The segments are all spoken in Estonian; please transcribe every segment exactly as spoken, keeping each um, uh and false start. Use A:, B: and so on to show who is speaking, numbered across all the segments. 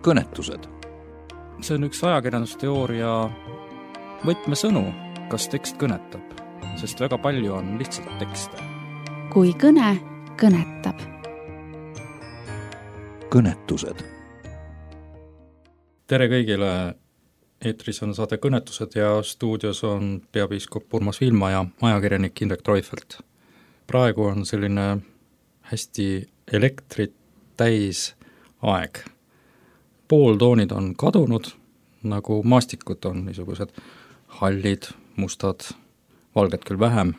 A: kõnetused.
B: See on üks ajakirjandusteooria võtmesõnu, kas tekst kõnetab, sest väga palju on lihtsalt tekste.
C: Kui kõne kõnetab.
A: Kõnetused.
B: Tere kõigile! Eetris on saade Kõnetused ja stuudios on peapiiskop Urmas Viilma ja ajakirjanik Indrek Treufelt. Praegu on selline hästi elektrit täis aeg. Pooltoonid on kadunud, nagu maastikud on niisugused hallid, mustad, valged küll vähem,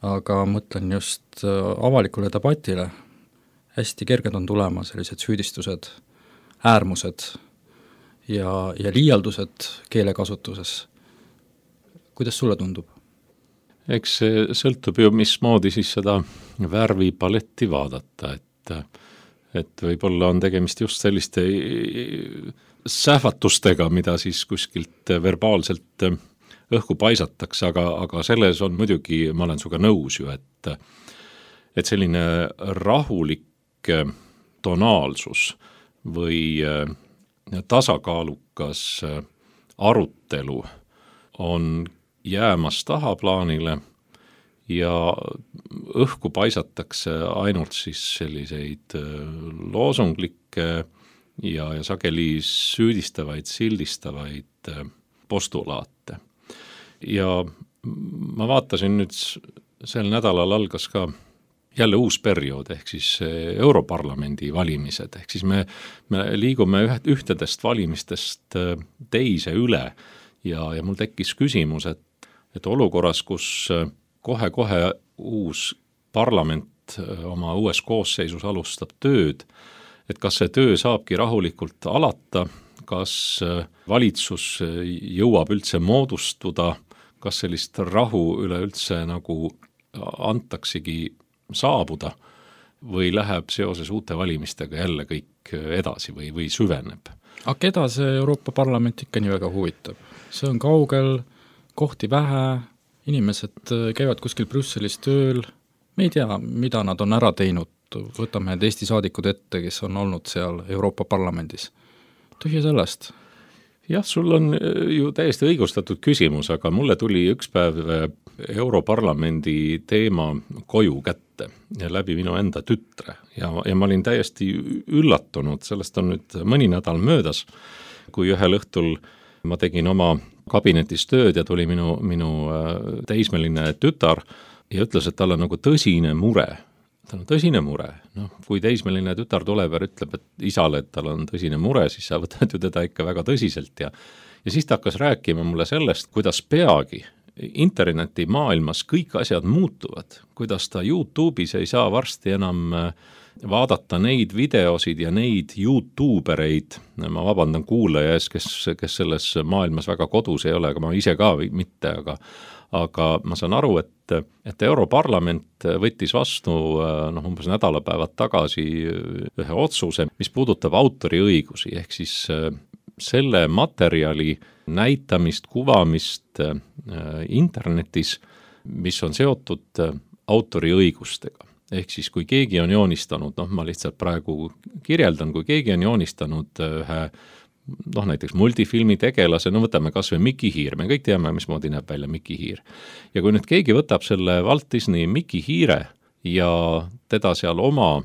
B: aga mõtlen just avalikule debatile. Hästi kerged on tulema sellised süüdistused, äärmused ja, ja liialdused keelekasutuses. Kuidas sulle tundub?
D: Eks see sõltub ju, mismoodi siis seda värvipaletti vaadata, et, et võib-olla on tegemist just selliste sähvatustega, mida siis kuskilt verbaalselt õhku paisatakse, aga, aga selles on muidugi, ma olen suga nõus ju, et, et selline rahulik tonaalsus või tasakaalukas arutelu on jäämas tahaplaanile ja õhku paisatakse ainult siis selliseid loosunglikke ja, ja sageli süüdistavaid, sildistavaid postulaate. Ja ma vaatasin nüüd, sel nädalal algas ka jälle uus periood, ehk siis Europarlamendi valimised, ehk siis me, me liigume ühtedest valimistest teise üle ja, ja mul tekkis küsimus, et, et olukorras, kus kohe-kohe uus parlament oma uues koosseisus alustab tööd, et kas see töö saabki rahulikult alata, kas valitsus jõuab üldse moodustuda, kas sellist rahu üleüldse nagu antaksegi saabuda või läheb seoses uute valimistega jälle kõik edasi või, või süveneb.
B: Aga keda see Euroopa Parlament ikka nii väga huvitab? See on kaugel, kohti vähe, inimesed käivad kuskil Brüsselis tööl, me ei tea, mida nad on ära teinud, võtame need Eesti saadikud ette, kes on olnud seal Euroopa Parlamendis. Tühja sellest.
D: Jah, sul on ju täiesti õigustatud küsimus, aga mulle tuli üks päev Europarlamendi teema koju kätte ja läbi minu enda tütre ja, ja ma olin täiesti üllatunud, sellest on nüüd mõni nädal möödas, kui ühel õhtul ma tegin oma kabinetis tööd ja tuli minu, minu teismeline tütar ja ütles, et tal on nagu tõsine mure. Tal on tõsine mure. No, kui teismeline tütar tuleb ja ütleb, et isale, et tal on tõsine mure, siis sa võtad ju teda ikka väga tõsiselt ja, ja siis ta hakkas rääkima mulle sellest, kuidas peagi interneti maailmas kõik asjad muutuvad, kuidas ta YouTube'is ei saa varsti enam vaadata neid videosid ja neid YouTubereid, ma vabandan kuulaja ees, kes, kes selles maailmas väga kodus ei ole, aga ma ise ka mitte, aga, aga ma saan aru, et, et Europarlament võttis vastu noh, umbes nädalapäevad tagasi ühe otsuse, mis puudutab autoriõigusi, ehk siis selle materjali näitamist, kuvamist äh, internetis, mis on seotud äh, autoriõigustega. Ehk siis kui keegi on joonistanud, noh ma lihtsalt praegu kirjeldan, kui keegi on joonistanud ühe noh näiteks multifilmi tegelase, no võtame kas või Mickey Hiir, me kõik teame, mismoodi näeb välja Mickey Hiir. Ja kui nüüd keegi võtab selle Walt Disney Mickey Hiire ja teda seal oma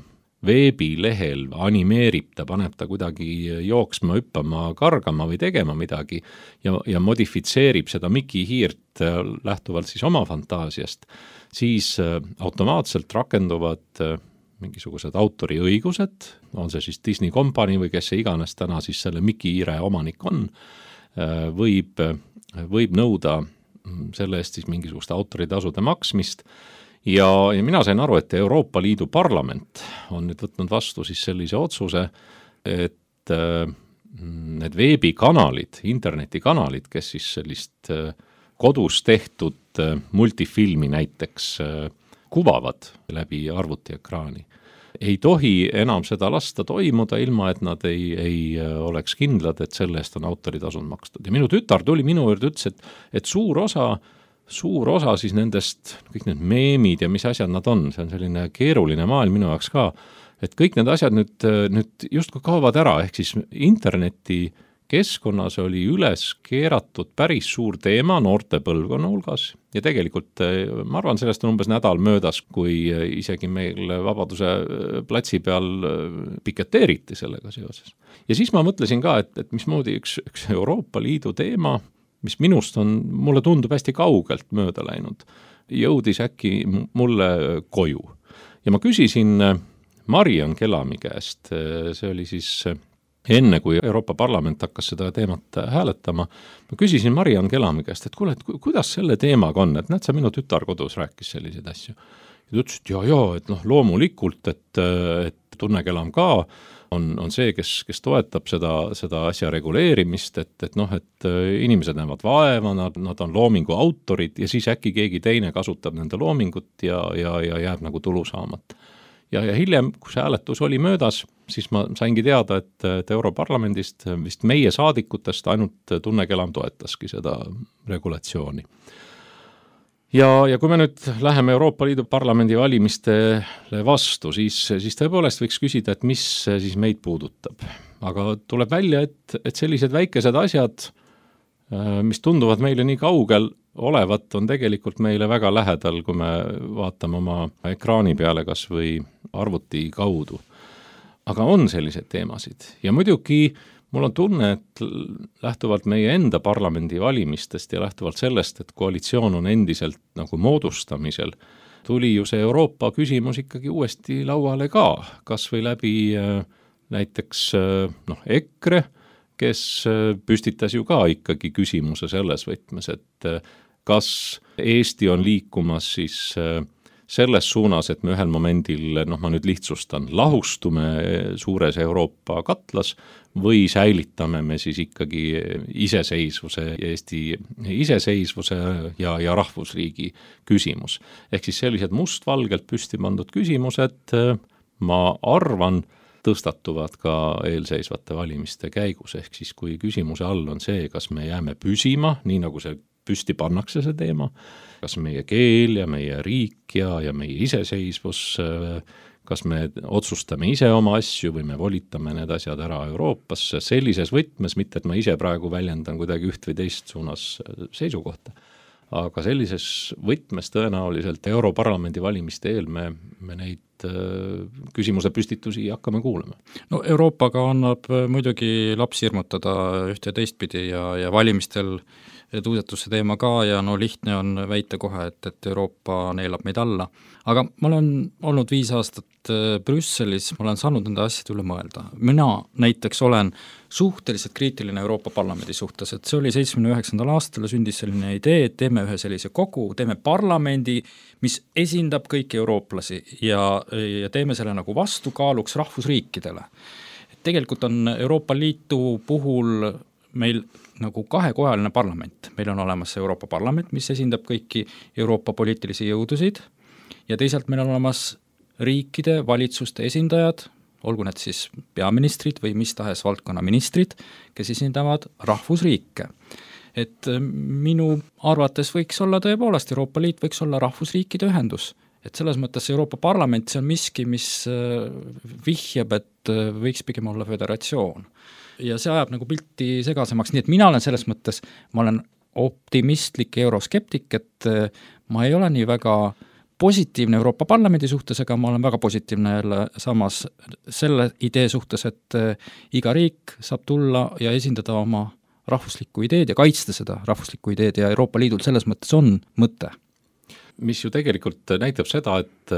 D: veebilehel animeerib, ta paneb ta kuidagi jooksma, hüppama, kargama või tegema midagi ja, ja modifitseerib seda Mickey Hiirt lähtuvalt siis oma fantaasiast, siis automaatselt rakenduvad mingisugused autoriõigused, on see siis Disney Company või kes see iganes täna siis selle Mickey Hiire omanik on, võib, võib nõuda selle eest siis mingisugust autoritasude maksmist. Ja, ja mina sain aru, et Euroopa Liidu parlament on nüüd võtnud vastu siis sellise otsuse, et äh, need veebikanalid, internetikanalid, kes siis sellist äh, kodus tehtud äh, multifilmi näiteks äh, kuvavad läbi arvutiekraani, ei tohi enam seda lasta toimuda, ilma et nad ei, ei oleks kindlad, et selle eest on autoritasud makstud. Ja minu tütar tuli minu juurde, ütles, et, et suur osa suur osa siis nendest, kõik need meemid ja mis asjad nad on, see on selline keeruline maailm minu jaoks ka, et kõik need asjad nüüd, nüüd justkui kaovad ära, ehk siis interneti keskkonnas oli üles keeratud päris suur teema noorte põlvkonna hulgas ja tegelikult ma arvan, sellest on umbes nädal möödas, kui isegi meil Vabaduse platsi peal piketeeriti sellega seoses. Ja siis ma mõtlesin ka, et, et mismoodi üks, üks Euroopa Liidu teema, mis minust on, mulle tundub hästi kaugelt mööda läinud, jõudis äkki mulle koju. Ja ma küsisin Mariann Kelami käest, see oli siis enne, kui Euroopa Parlament hakkas seda teemat hääletama, ma küsisin Mariann Kelami käest, et kuule, et kuidas selle teemaga on, et näed, sa minu tütar kodus rääkis selliseid asju. Ja ta ütles, et jaa, jaa, et noh, loomulikult, et, et Tunne Kelam ka on, on see, kes, kes toetab seda, seda asja reguleerimist, et, et noh, et inimesed näevad vaeva, nad, nad on loomingu autorid ja siis äkki keegi teine kasutab nende loomingut ja, ja, ja jääb nagu tulu saamat. Ja, ja hiljem, kui see hääletus oli möödas, siis ma saingi teada, et, et Europarlamendist vist meie saadikutest ainult Tunne Kelam toetaski seda regulatsiooni. Ja, ja kui me nüüd läheme Euroopa Liidu parlamendi valimistele vastu, siis, siis tõepoolest võiks küsida, et mis siis meid puudutab. Aga tuleb välja, et, et sellised väikesed asjad, mis tunduvad meile nii kaugel olevat, on tegelikult meile väga lähedal, kui me vaatame oma ekraani peale kas või arvuti kaudu. Aga on sellised teemasid ja muidugi mul on tunne, et lähtuvalt meie enda parlamendi valimistest ja lähtuvalt sellest, et koalitsioon on endiselt nagu moodustamisel, tuli ju see Euroopa küsimus ikkagi uuesti lauale ka, kas või läbi näiteks noh, EKRE, kes püstitas ju ka ikkagi küsimuse selles võtmes, et kas Eesti on liikumas siis selles suunas, et me ühel momendil, noh ma nüüd lihtsustan, lahustume suures Euroopa katlas või säilitame me siis ikkagi iseseisvuse, Eesti iseseisvuse ja, ja rahvusriigi küsimus. Ehk siis sellised mustvalgelt püsti pandud küsimused, ma arvan, tõstatuvad ka eelseisvate valimiste käigus, ehk siis kui küsimuse all on see, kas me jääme püsima, nii nagu see püsti pannakse see teema, kas meie keel ja meie riik ja, ja meie iseseisvus, kas me otsustame ise oma asju või me volitame need asjad ära Euroopasse sellises võtmes, mitte et ma ise praegu väljendan kuidagi üht või teist suunas seisukohta. Aga sellises võtmes tõenäoliselt Europarlamendi valimiste eel me, me neid küsimuse püstitusi hakkame kuulama.
B: No Euroopaga annab muidugi lapsi hirmutada ühte ja teistpidi ja, ja valimistel tuudetus see teema ka ja no lihtne on väita kohe, et, et Euroopa neelab meid alla. Aga ma olen olnud viis aastat Brüsselis, ma olen saanud nende asjade üle mõelda. Mina näiteks olen suhteliselt kriitiline Euroopa Parlamendi suhtes, et see oli seitsmekümne üheksandal aastal sündis selline idee, et teeme ühe sellise kogu, teeme parlamendi, mis esindab kõiki eurooplasi ja, ja teeme selle nagu vastukaaluks rahvusriikidele. Et tegelikult on Euroopa Liitu puhul meil nagu kahekojaline parlament. Meil on olemas Euroopa Parlament, mis esindab kõiki Euroopa poliitilisi jõudusid ja teisalt meil on olemas riikide valitsuste esindajad, olgu need siis peaministrid või mis tahes valdkonna ministrid, kes esindavad rahvusriike. Et minu arvates võiks olla tõepoolest, Euroopa Liit võiks olla rahvusriikide ühendus. Et selles mõttes Euroopa Parlament, see on miski, mis vihjab, et võiks pigem olla föderatsioon. Ja see ajab nagu pilti segasemaks, nii et mina olen selles mõttes, ma olen optimistlik euroskeptik, et ma ei ole nii väga positiivne Euroopa Parlamendi suhtes, aga ma olen väga positiivne jälle samas selle idee suhtes, et iga riik saab tulla ja esindada oma rahvuslikku ideed ja kaitsta seda rahvuslikku ideed ja Euroopa Liidul selles mõttes on mõte.
D: Mis ju tegelikult näitab seda, et,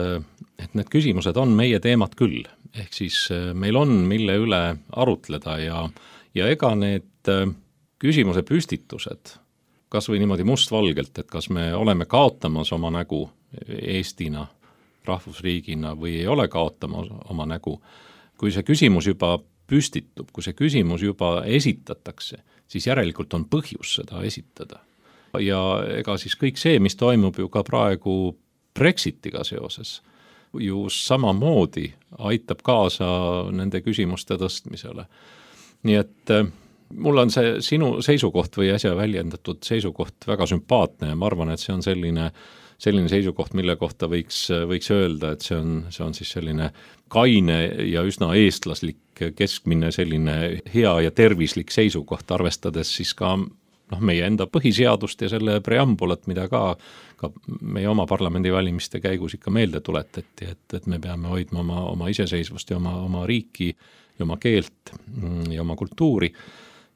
D: et need küsimused on meie teemad küll, ehk siis meil on mille üle arutleda ja, ja ega need küsimuse püstitused, kas või niimoodi mustvalgelt, et kas me oleme kaotamas oma nägu Eestina, rahvusriigina või ei ole kaotama oma nägu. Kui see küsimus juba püstitub, kui see küsimus juba esitatakse, siis järelikult on põhjus seda esitada. Ja ega siis kõik see, mis toimub ju ka praegu Brexitiga seoses, ju samamoodi aitab kaasa nende küsimuste tõstmisele. Nii et mul on see sinu seisukoht või äsja väljendatud seisukoht väga sümpaatne ja ma arvan, et see on selline selline seisukoht, mille kohta võiks, võiks öelda, et see on, see on siis selline kaine ja üsna eestlaslik keskmine selline hea ja tervislik seisukoht, arvestades siis ka noh, meie enda põhiseadust ja selle preambulat, mida ka, ka meie oma parlamendivalimiste käigus ikka meelde tuletati, et, et me peame hoidma oma, oma iseseisvust ja oma, oma riiki ja oma keelt ja oma kultuuri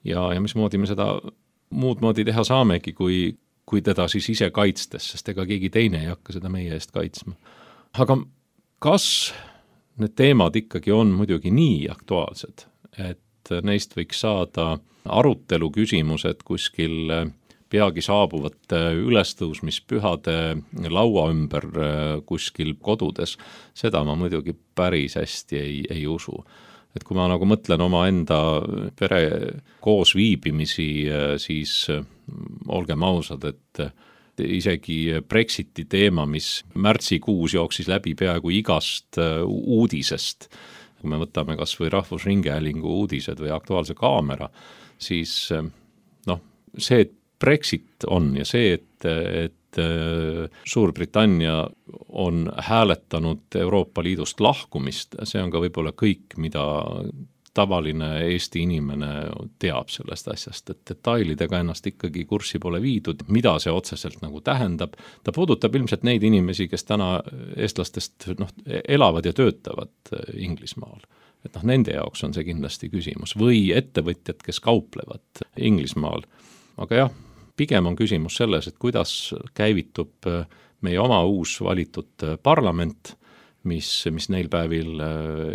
D: ja, ja mismoodi me seda muud moodi teha saamegi, kui kui teda siis ise kaitstes, sest ega keegi teine ei hakka seda meie eest kaitsma. Aga kas need teemad ikkagi on muidugi nii aktuaalsed, et neist võiks saada arutelu küsimused kuskil peagi saabuvate ülestõusmispühade laua ümber kuskil kodudes, seda ma muidugi päris hästi ei, ei usu. Et kui ma nagu mõtlen oma enda pere koos viibimisi, siis olgem ausad, et isegi Brexiti teema, mis märtsikuus jooksis läbi peaaegu igast uudisest, kui me võtame kas või Rahvusringhäälingu uudised või Aktuaalse Kaamera, siis noh, see, et Brexit on ja see, et, et Suurbritannia on hääletanud Euroopa Liidust lahkumist, see on ka võib-olla kõik, mida tavaline Eesti inimene teab sellest asjast, et detailidega ennast ikkagi kurssi pole viidud, mida see otseselt nagu tähendab. Ta puudutab ilmselt neid inimesi, kes täna eestlastest noh, elavad ja töötavad Inglismaal. Et noh, nende jaoks on see kindlasti küsimus. Või ettevõtjad, kes kauplevad Inglismaal. Aga jah, pigem on küsimus selles, et kuidas käivitub meie oma uus valitud parlament, mis, mis neil päevil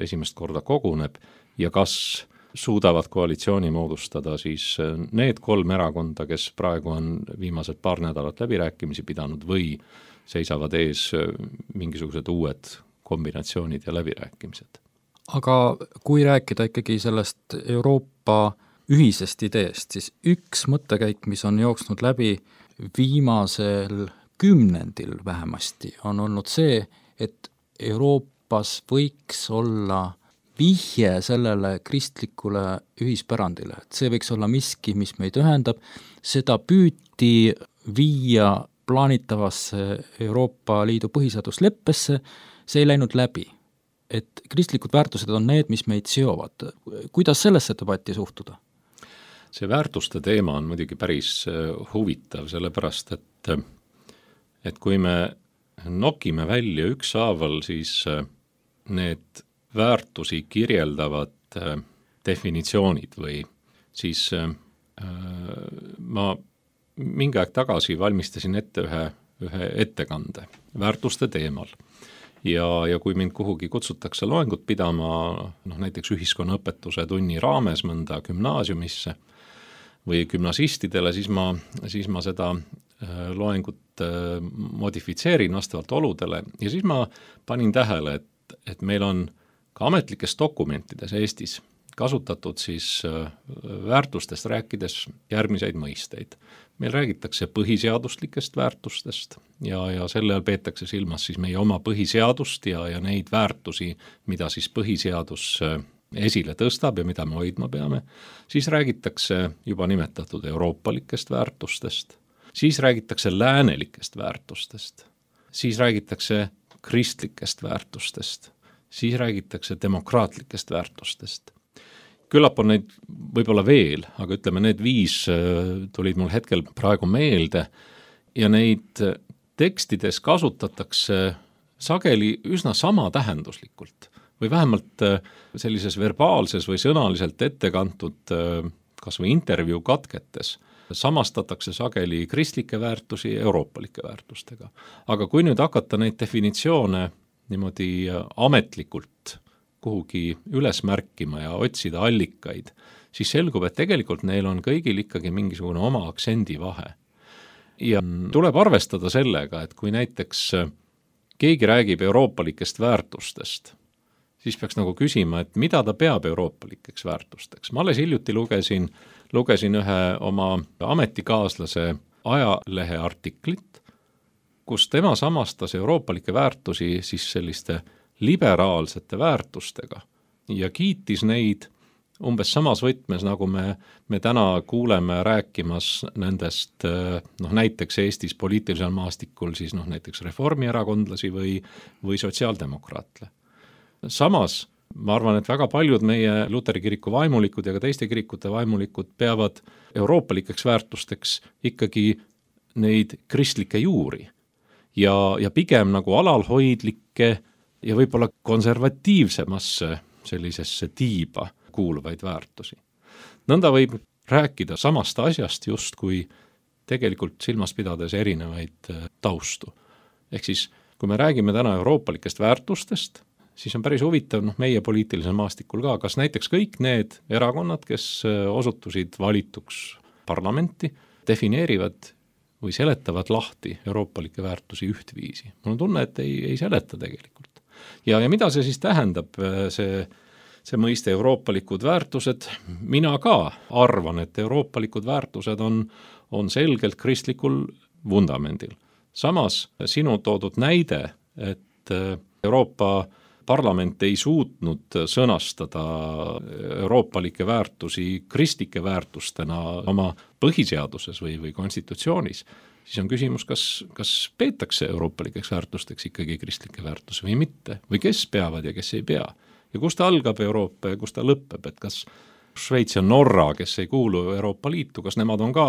D: esimest korda koguneb ja kas suudavad koalitsiooni moodustada siis need kolm erakonda, kes praegu on viimased paar nädalat läbirääkimisi pidanud või seisavad ees mingisugused uued kombinatsioonid ja läbirääkimised.
B: Aga kui rääkida ikkagi sellest Euroopa ühisest ideest, siis üks mõttekäik, mis on jooksnud läbi viimasel kümnendil vähemasti, on olnud see, et Euroopas võiks olla vihje sellele kristlikule ühispärandile, et see võiks olla miski, mis meid ühendab, seda püüti viia plaanitavasse Euroopa Liidu põhiseadusleppesse, see ei läinud läbi. Et kristlikud väärtused on need, mis meid seovad. Kuidas sellesse debatti suhtuda?
D: See väärtuste teema on muidugi päris huvitav, sellepärast, et, et kui me nokime välja ükshaaval, siis need väärtusi kirjeldavad definitsioonid või siis äh, ma mingi aeg tagasi valmistasin ette ühe, ühe ettekande väärtuste teemal. Ja, ja kui mind kuhugi kutsutakse loengut pidama, noh, näiteks ühiskonnaõpetuse tunni raames mõnda gümnaasiumisse või gümnasistidele, siis ma, siis ma seda loengut modifitseerin vastavalt oludele ja siis ma panin tähele, et, et meil on ka ametlikes dokumentides Eestis kasutatud siis väärtustest rääkides järgmiseid mõisteid. Meil räägitakse põhiseaduslikest väärtustest ja, ja selle all peetakse silmas siis meie oma põhiseadust ja, ja neid väärtusi, mida siis põhiseadus esile tõstab ja mida me hoidma peame. Siis räägitakse juba nimetatud euroopalikest väärtustest, siis räägitakse läänelikest väärtustest, siis räägitakse kristlikest väärtustest, siis räägitakse demokraatlikest väärtustest. Küllap on neid võib-olla veel, aga ütleme, need viis tulid mul hetkel praegu meelde ja neid tekstides kasutatakse sageli üsna sama tähenduslikult või vähemalt sellises verbaalses või sõnaliselt ette kantud kas või intervjuu katketes samastatakse sageli kristlikke väärtusi euroopalike väärtustega. Aga kui nüüd hakata neid definitsioone niimoodi ametlikult kuhugi üles märkima ja otsida allikaid, siis selgub, et tegelikult neil on kõigil ikkagi mingisugune oma aktsendi vahe. Ja tuleb arvestada sellega, et kui näiteks keegi räägib euroopalikest väärtustest, siis peaks nagu küsima, et mida ta peab euroopalikeks väärtusteks. Ma alles hiljuti lugesin, lugesin ühe oma ametikaaslase ajalehe artiklit, kus tema samastas euroopalike väärtusi siis selliste liberaalsete väärtustega ja kiitis neid, umbes samas võtmes, nagu me, me täna kuuleme rääkimas nendest noh, näiteks Eestis poliitilisel maastikul siis noh, näiteks reformierakondlasi või, või sotsiaaldemokraatle. Samas ma arvan, et väga paljud meie Luteri kiriku vaimulikud ja ka teiste kirikute vaimulikud peavad euroopalikeks väärtusteks ikkagi neid kristlikke juuri ja, ja pigem nagu alalhoidlikke ja võib-olla konservatiivsemasse sellisesse tiiba kuuluvaid väärtusi. Nõnda võib rääkida samast asjast justkui tegelikult silmas pidades erinevaid taustu. Ehk siis, kui me räägime täna euroopalikest väärtustest, siis on päris huvitav noh, meie poliitilisel maastikul ka, kas näiteks kõik need erakonnad, kes osutusid valituks parlamenti, defineerivad või seletavad lahti euroopalikke väärtusi ühtviisi. Mul on tunne, et ei, ei seleta tegelikult. Ja, ja mida see siis tähendab, see see mõiste euroopalikud väärtused, mina ka arvan, et euroopalikud väärtused on, on selgelt kristlikul vundamendil. Samas sinu toodud näide, et Euroopa Parlament ei suutnud sõnastada euroopalikke väärtusi kristlike väärtustena oma põhiseaduses või, või konstitutsioonis, siis on küsimus, kas, kas peetakse euroopalikeks väärtusteks ikkagi kristlikke väärtusi või mitte, või kes peavad ja kes ei pea. Ja kus ta algab Euroopa ja kus ta lõpeb, et kas Šveits ja Norra, kes ei kuulu Euroopa Liitu, kas nemad on ka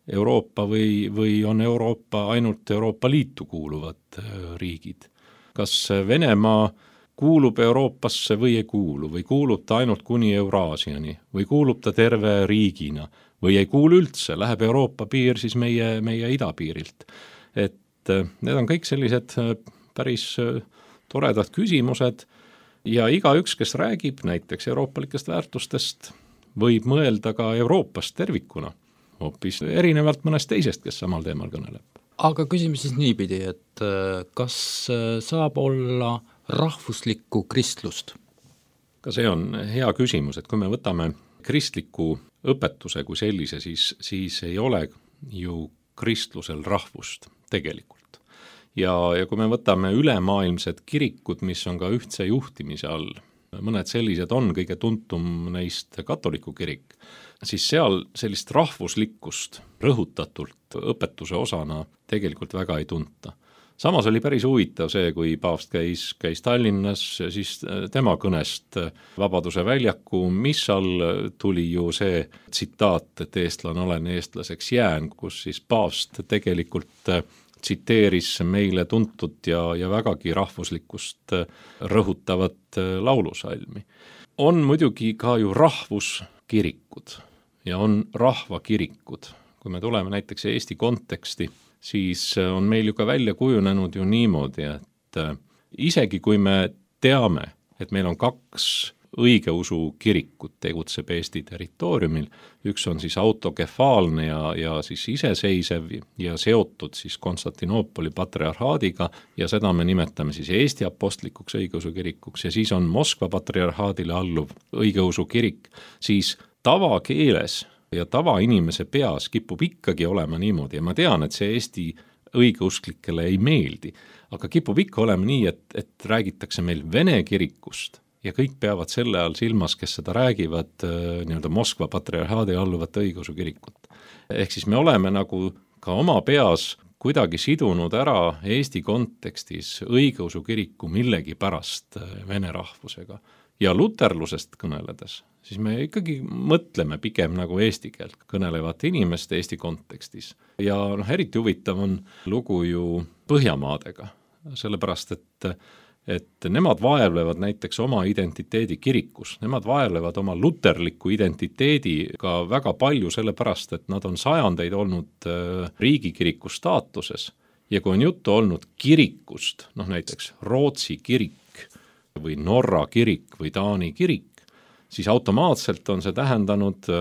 D: Euroopa või, või on Euroopa ainult Euroopa Liitu kuuluvad riigid. Kas Venemaa kuulub Euroopasse või ei kuulu, või kuulub ta ainult kuni Euraasiani, või kuulub ta terve riigina, või ei kuulu üldse, läheb Euroopa piir siis meie, meie idapiirilt. Et need on kõik sellised päris toredad küsimused, ja igaüks, kes räägib näiteks euroopalikest väärtustest, võib mõelda ka Euroopast tervikuna, hoopis erinevalt mõnest teisest, kes samal teemal kõneleb.
B: Aga küsime siis niipidi, et kas saab olla rahvuslikku kristlust?
D: Ka see on hea küsimus, et kui me võtame kristliku õpetuse kui sellise, siis, siis ei ole ju kristlusel rahvust tegelikult. Ja, ja kui me võtame ülemaailmsed kirikud, mis on ka ühtse juhtimise all, mõned sellised on, kõige tuntum neist katoliku kirik, siis seal sellist rahvuslikkust rõhutatult õpetuse osana tegelikult väga ei tunta. Samas oli päris huvitav see, kui paavst käis, käis Tallinnas, siis tema kõnest Vabaduse väljaku, mis all tuli ju see tsitaat, et eestlane olen, eestlaseks jään, kus siis paavst tegelikult tsiteeris meile tuntud ja, ja vägagi rahvuslikkust rõhutavat laulusalmi. On muidugi ka ju rahvuskirikud ja on rahvakirikud. Kui me tuleme näiteks Eesti konteksti, siis on meil ju ka välja kujunenud ju niimoodi, et isegi kui me teame, et meil on kaks õigeusu kirikut tegutseb Eesti territooriumil, üks on siis autokefaalne ja, ja siis iseseisev ja seotud siis Konstantinoopoli patriarhaadiga ja seda me nimetame siis Eesti apostlikuks õigeusu kirikuks ja siis on Moskva patriarhaadile alluv õigeusu kirik, siis tavakeeles ja tavainimese peas kipub ikkagi olema niimoodi ja ma tean, et see Eesti õigeusklikele ei meeldi, aga kipub ikka olema nii, et, et räägitakse meil Vene kirikust ja kõik peavad selle all silmas, kes seda räägivad nii-öelda Moskva patriarhaadi alluvat õigeusu kirikut. Ehk siis me oleme nagu ka oma peas kuidagi sidunud ära Eesti kontekstis õigeusu kiriku millegi pärast vene rahvusega. Ja luterlusest kõneledes, siis me ikkagi mõtleme pigem nagu eesti keelt kõnelevate inimeste Eesti kontekstis. Ja noh, eriti huvitav on lugu ju Põhjamaadega, sellepärast et et nemad vaevlevad näiteks oma identiteedi kirikus, nemad vaevlevad oma luterliku identiteediga väga palju sellepärast, et nad on sajandeid olnud riigikiriku staatuses ja kui on juttu olnud kirikust, noh näiteks Rootsi kirik või Norra kirik või Taani kirik, siis automaatselt on see tähendanud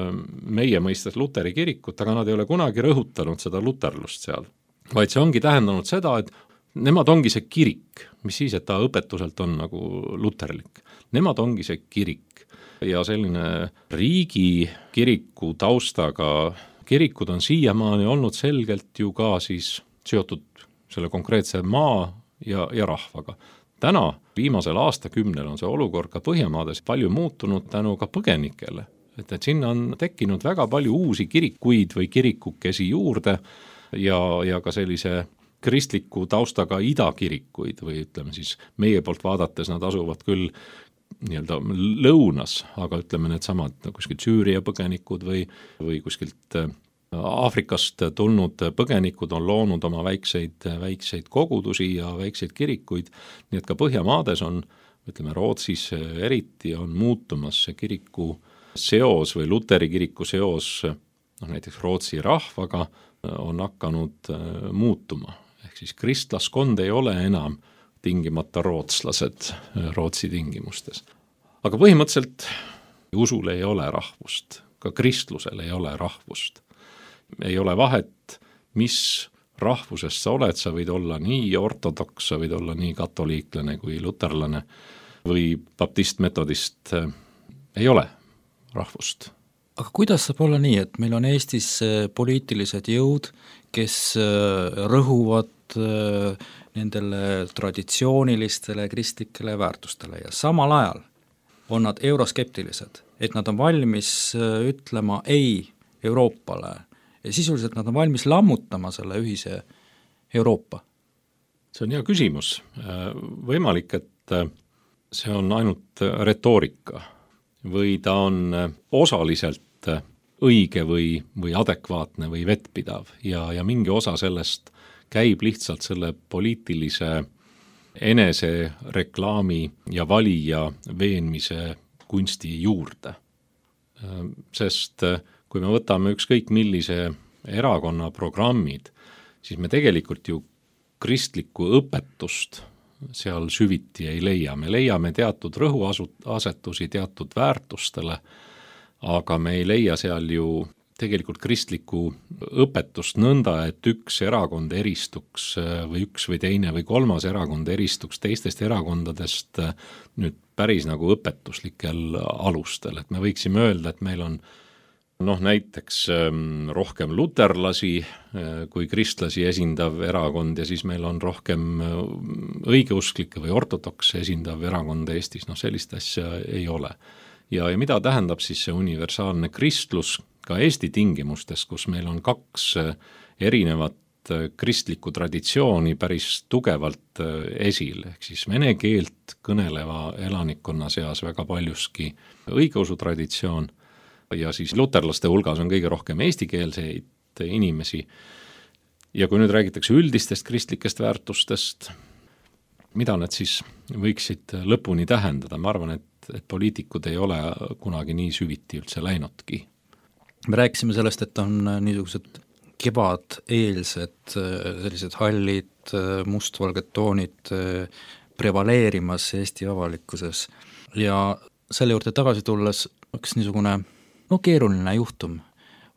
D: meie mõistes luteri kirikut, aga nad ei ole kunagi rõhutanud seda luterlust seal, vaid see ongi tähendanud seda, et nemad ongi see kirik, mis siis, et ta õpetuselt on nagu luterlik. Nemad ongi see kirik ja selline riigi kiriku taustaga kirikud on siiamaani olnud selgelt ju ka siis seotud selle konkreetse maa ja, ja rahvaga. Täna viimasel aastakümnel on see olukord ka Põhjamaades palju muutunud tänu ka põgenikele, et, et sinna on tekkinud väga palju uusi kirikuid või kirikukesi juurde ja, ja ka sellise kristliku taustaga idakirikuid või ütleme siis meie poolt vaadates nad asuvad küll nii-öelda lõunas, aga ütleme need samad kuskilt Süüria põgenikud või, või kuskilt Aafrikast tulnud põgenikud on loonud oma väikseid, väikseid kogudusi ja väikseid kirikuid, nii et ka Põhjamaades on, ütleme Rootsis eriti on muutumas see kiriku seos või luteri kiriku seos, noh näiteks Rootsi rahvaga on hakanud muutuma, ehk siis kristlaskond ei ole enam tingimata rootslased Rootsi tingimustes. Aga põhimõtteliselt usul ei ole rahvust, ka kristlusel ei ole rahvust. Ei ole vahet, mis rahvusest sa oled, sa võid olla nii ortodoks, sa võid olla nii katoliiklane kui luterlane või baptist-metodist, ei ole rahvust.
B: Aga kuidas saab olla nii, et meil on Eestis poliitilised jõud, kes rõhuvad nendele traditsioonilistele kristlikele väärtustele ja samal ajal on nad euroskeptilised, et nad on valmis ütlema ei Euroopale ja sisuliselt nad on valmis lammutama selle ühise Euroopa?
D: See on hea küsimus. Võimalik, et see on ainult retoorika või ta on osaliselt õige või, või adekvaatne või vettpidav ja, ja mingi osa sellest käib lihtsalt selle poliitilise enese reklaami ja valija veenmise kunsti juurde. Sest kui me võtame ükskõik millise erakonna programmid, siis me tegelikult ju kristlikku õpetust seal süviti ei leia. Me leiame teatud rõhuasetusi teatud väärtustele, aga me ei leia seal ju tegelikult kristlikku õpetust nõnda, et üks erakond eristuks või üks või teine või kolmas erakond eristuks teistest erakondadest nüüd päris nagu õpetuslikel alustel. Et me võiksime öelda, et meil on noh näiteks rohkem luterlasi kui kristlasi esindav erakond ja siis meil on rohkem õigeusklikke või ortodoks esindav erakond Eestis, noh sellist asja ei ole. Ja, ja mida tähendab siis see universaalne kristlus ka Eesti tingimustes, kus meil on kaks erinevat kristlikku traditsiooni päris tugevalt esil, ehk siis vene keelt kõneleva elanikkonna seas väga paljuski õigeusu traditsioon ja siis luterlaste hulgas on kõige rohkem eestikeelseid inimesi. Ja kui nüüd räägitakse üldistest kristlikest väärtustest, mida need siis võiksid lõpuni tähendada? Ma arvan, et, et poliitikud ei ole kunagi nii süviti üldse läinudki.
B: Me rääkisime sellest, et on niisugused kevadeelsed sellised hallid mustvalged toonid prevaleerimas Eesti avalikkuses ja selle juurde tagasi tulles üks niisugune no keeruline juhtum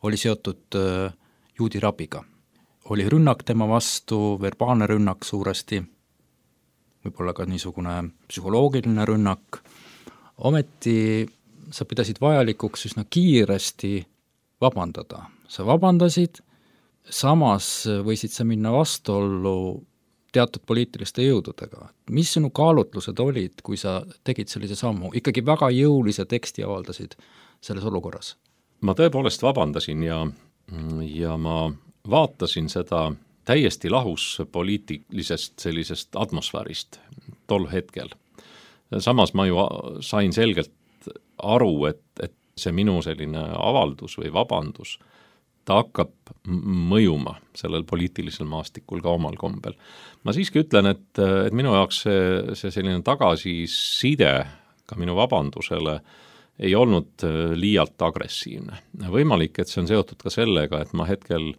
B: oli seotud juudi rabiga. Oli rünnak tema vastu, verbaalne rünnak suuresti, võib-olla ka niisugune psühholoogiline rünnak. Ometi sa pidasid vajalikuks üsna kiiresti vabandada. Sa vabandasid, samas võisid sa minna vastuollu teatud poliitiliste jõududega. Mis sinu kaalutlused olid, kui sa tegid sellise sammu? Ikkagi väga jõulise teksti avaldasid selles olukorras.
D: Ma tõepoolest vabandasin ja, ja ma vaatasin seda täiesti lahus poliitilisest sellisest atmosfäärist tol hetkel. Samas ma ju sain selgelt aru, et, et see minu selline avaldus või vabandus, ta hakkab mõjuma sellel poliitilisel maastikul ka omal kombel. Ma siiski ütlen, et, et minu jaoks see, see selline tagasiside ka minu vabandusele ei olnud liialt agressiivne. Võimalik, et see on seotud ka sellega, et ma hetkel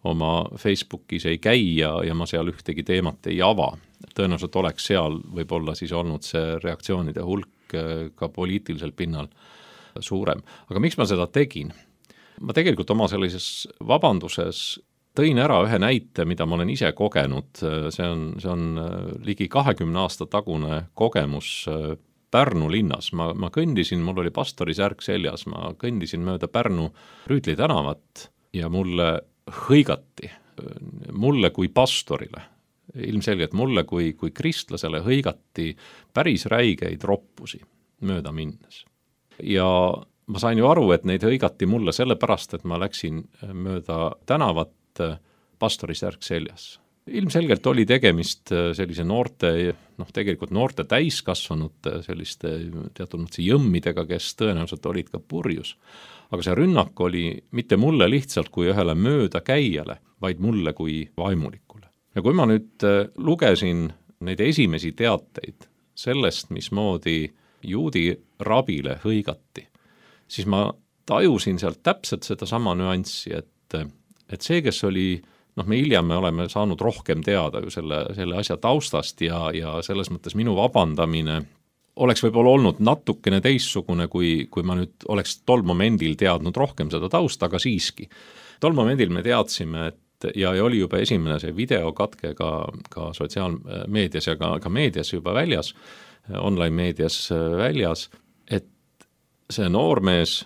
D: oma Facebookis ei käi ja, ja ma seal ühtegi teemat ei ava. Tõenäoliselt oleks seal võib-olla siis olnud see reaktsioonide hulk ka poliitilisel pinnal suurem. Aga miks ma seda tegin? Ma tegelikult oma sellises vabanduses tõin ära ühe näite, mida ma olen ise kogenud. See on, see on ligi kahekümne aasta tagune kogemus Pärnu linnas. Ma, ma kõndisin, mul oli pastori särk seljas, ma kõndisin mööda Pärnu Rüütli tänavat ja mulle hõigati, mulle kui pastorile, ilmselgelt mulle kui, kui kristlasele hõigati päris räigeid roppusi mööda minnes. Ja ma sain ju aru, et neid hõigati mulle sellepärast, et ma läksin mööda tänavat pastorisärk seljas. Ilmselgelt oli tegemist sellise noorte, noh tegelikult noorte täiskasvanute selliste teatud mõttes jõmmidega, kes tõenäoliselt olid ka purjus. Aga see rünnak oli mitte mulle lihtsalt kui ühele mööda käijale, vaid mulle kui vaimulikule. Ja kui ma nüüd lugesin neid esimesi teateid sellest, mismoodi juudi rabile hõigati, siis ma tajusin sealt täpselt seda sama nüanssi, et, et see, kes oli, noh me hiljem me oleme saanud rohkem teada ju selle, selle asja taustast ja, ja selles mõttes minu vabandamine oleks võib-olla olnud natukene teissugune, kui, kui ma nüüd oleks tol momendil teadnud rohkem seda tausta, aga siiski. Tol momendil me teadsime, et ja, ja oli juba esimene see videokatke ka, ka sotsiaalmeedias ja ka, ka meedias juba väljas, online meedias väljas, et see noormees,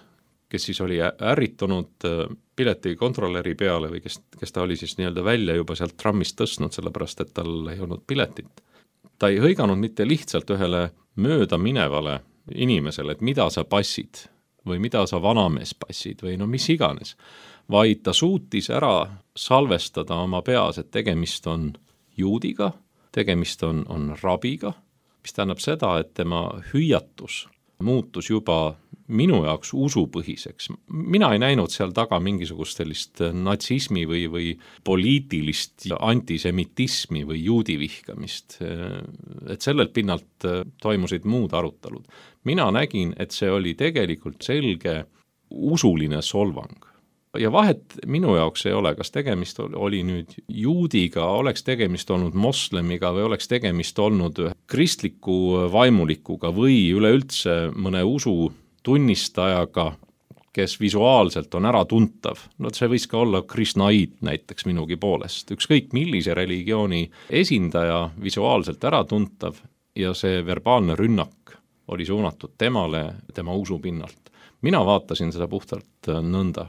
D: kes siis oli ärritunud pileti kontrolleri peale või kes, kes ta oli siis nii-öelda välja juba sealt trammist tõstnud, sellepärast et tal ei olnud piletit. Ta ei hõiganud mitte lihtsalt ühele mööda minevale inimesele, et mida sa passid või mida sa vanamees passid või no mis iganes, vaid ta suutis ära salvestada oma peas, et tegemist on juudiga, tegemist on, on rabiga, mis tähendab seda, et tema hüüatus muutus juba minu jaoks usupõhiseks. Mina ei näinud seal taga mingisugust sellist natsismi või, või poliitilist antisemitismi või juudi vihkamist. Et sellelt pinnalt toimusid muud arutelud. Mina nägin, et see oli tegelikult selge usuline solvang. Ja vahet minu jaoks ei ole, kas tegemist oli nüüd juudiga, oleks tegemist olnud moslemiga või oleks tegemist olnud kristliku vaimulikuga või üleüldse mõne usu tunnistajaga, kes visuaalselt on ära tuntav. No see võis ka olla krishnaid näiteks minugi poolest. Ükskõik millise religiooni esindaja visuaalselt ära tuntav ja see verbaalne rünnak oli suunatud temale, tema usu pinnalt. Mina vaatasin seda puhtalt nõnda.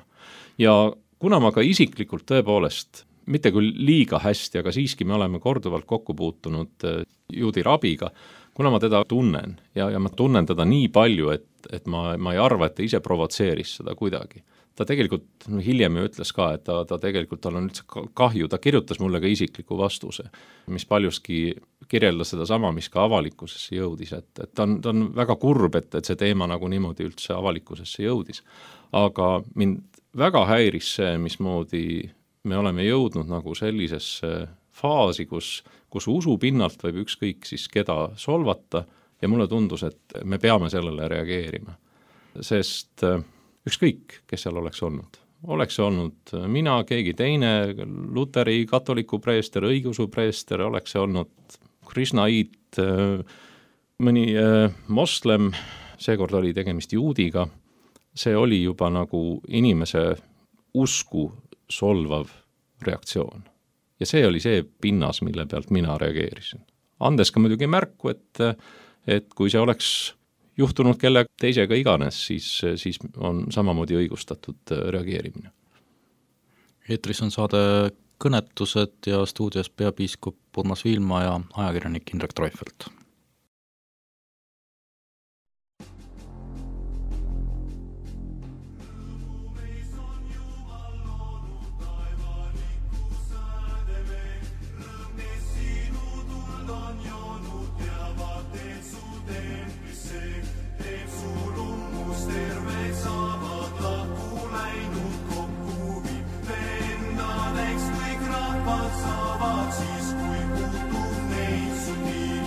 D: Ja kuna ma ka isiklikult tõepoolest, mitte küll liiga hästi, aga siiski me oleme korduvalt kokku puutunud juudi rabiga, kuna ma teda tunnen ja, ja ma tunnen teda nii palju, et, et ma, ma ei arva, et ta ise provotseeris seda kuidagi. Ta tegelikult no, hiljem ju ütles ka, et ta, ta tegelikult tal on üldse kahju, ta kirjutas mulle ka isikliku vastuse, mis paljuski kirjeldas seda sama, mis ka avalikkusesse jõudis, et, et ta, on, ta on väga kurb, et, et see teema nagu niimoodi üldse avalikkusesse jõudis. Aga mind väga häiris see, mismoodi me oleme jõudnud nagu sellisesse faasi, kus, kus usu pinnalt võib ükskõik siis keda solvata ja mulle tundus, et me peame sellele reageerima. Sest ükskõik, kes seal oleks olnud. Oleks olnud mina, keegi teine, luteri, katoliku preester, õigeusu preester, oleks olnud krishnaid, mõni moslem, seekord oli tegemist juudiga, see oli juba nagu inimese usku solvav reaktsioon. Ja see oli see pinnas, mille pealt mina reageerisin. Andes ka muidugi märku, et, et kui see oleks juhtunud kelle teisega iganes, siis, siis on samamoodi õigustatud reageerimine.
B: Eetris on saade Kõnetused ja stuudios peapiiskop Urmas Viilma ja ajakirjanik Indrek Treufelt.
A: Siis kui puutub neid su nii,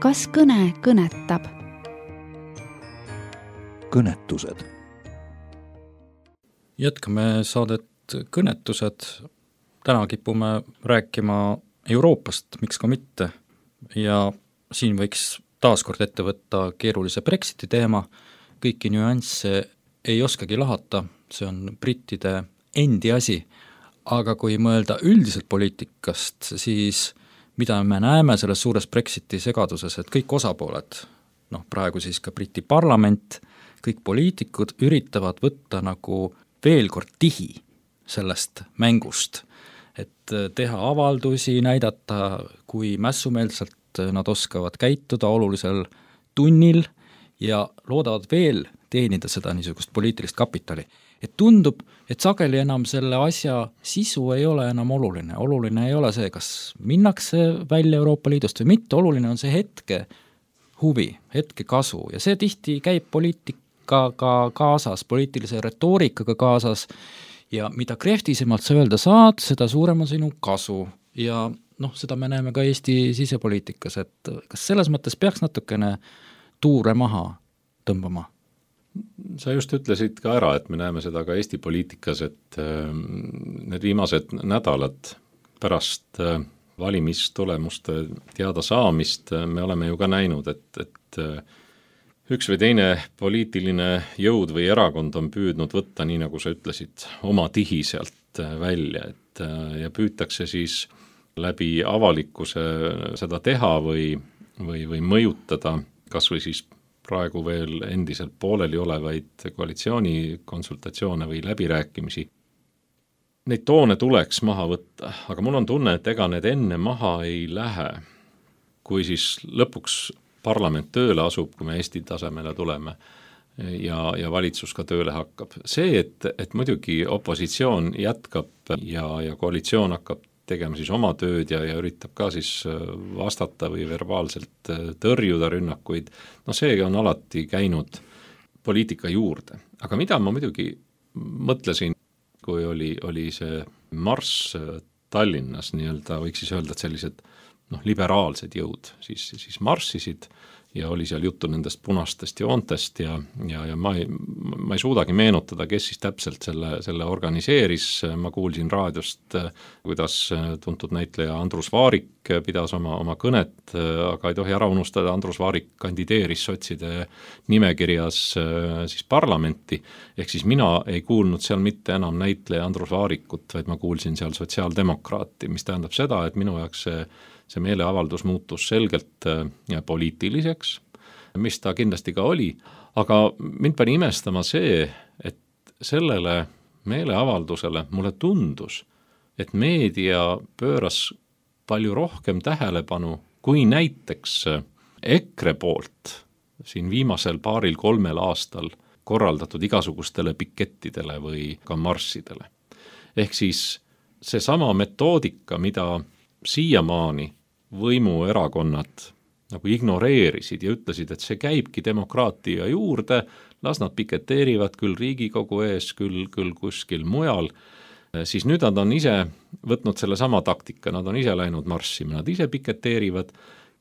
C: kas kõne kõnetab?
A: Kõnetused.
B: Jätkame saadet Kõnetused. Täna kipume rääkima Euroopast, miks ka mitte. Ja siin võiks taaskord ette võtta keerulise Brexiti teema. Kõiki nüansse ei oskagi lahata, see on brittide endi asi. Aga kui mõelda üldiselt poliitikast, siis mida me näeme selles suures Brexiti segaduses, et kõik osapooled, noh praegu siis ka Briti parlament, kõik poliitikud üritavad võtta nagu veel kord tihi sellest mängust, et teha avaldusi, näidata, kui mässumeelselt nad oskavad käituda olulisel tunnil ja loodavad veel teenida seda niisugust poliitilist kapitali. Et tundub, et sageli enam selle asja sisu ei ole enam oluline. Oluline ei ole see, kas minnakse välja Euroopa Liidust või mitte, oluline on see hetke huvi, hetke kasu ja see tihti käib poliitikaga kaasas, poliitilise retoorikaga kaasas ja mida krehtisemalt sa öelda saad, seda suurem on sinu kasu ja noh, seda me näeme ka Eesti sisepoliitikas, et kas selles mõttes peaks natukene tuure maha tõmbama?
D: Sa just ütlesid ka ära, et me näeme seda ka Eesti poliitikas, et need viimased nädalad pärast valimistulemuste teada saamist me oleme ju ka näinud, et, et üks või teine poliitiline jõud või erakond on püüdnud võtta, nii nagu sa ütlesid, oma tihi sealt välja, et ja püütakse siis läbi avalikkuse seda teha või, või, või mõjutada kas või siis praegu veel endiselt pooleli olevaid koalitsiooni konsultatsioone või läbirääkimisi. Neid toone tuleks maha võtta, aga mul on tunne, et ega need enne maha ei lähe, kui siis lõpuks parlament tööle asub, kui me Eesti tasemele tuleme ja, ja valitsus ka tööle hakkab. See, et, et muidugi opositsioon jätkab ja, ja koalitsioon hakkab tegema siis oma tööd ja, ja üritab ka siis vastata või verbaalselt tõrjuda rünnakuid, no see on alati käinud poliitika juurde. Aga mida ma muidugi mõtlesin, kui oli, oli see marss Tallinnas, nii-öelda võiks siis öelda, et sellised noh, liberaalsed jõud siis, siis marssisid ja oli seal juttu nendest punastest joontest ja, ja, ja ma, ei, ma ei suudagi meenutada, kes siis täpselt selle, selle organiseeris. Ma kuulsin raadiost, kuidas tuntud näitleja Andrus Vaarik pidas oma, oma kõnet, aga ei tohi ära unustada, Andrus Vaarik kandideeris sotside nimekirjas siis parlamenti, ehk siis mina ei kuulnud seal mitte enam näitleja Andrus Vaarikut, vaid ma kuulsin seal sotsiaaldemokraati, mis tähendab seda, et minu jaoks see see meeleavaldus muutus selgelt poliitiliseks, mis ta kindlasti ka oli, aga mind pani imestama see, et sellele meeleavaldusele mulle tundus, et meedia pööras palju rohkem tähelepanu kui näiteks EKRE poolt siin viimasel paaril kolmel aastal korraldatud igasugustele pikettidele või ka marssidele. Ehk siis seesama metoodika, mida siiamaani võimuerakonnad nagu ignoreerisid ja ütlesid, et see käibki demokraatia juurde, las nad piketeerivad küll Riigikogu ees, küll, küll kuskil mujal, siis nüüd nad on ise võtnud selle sama taktika, nad on ise läinud marssima, nad ise piketeerivad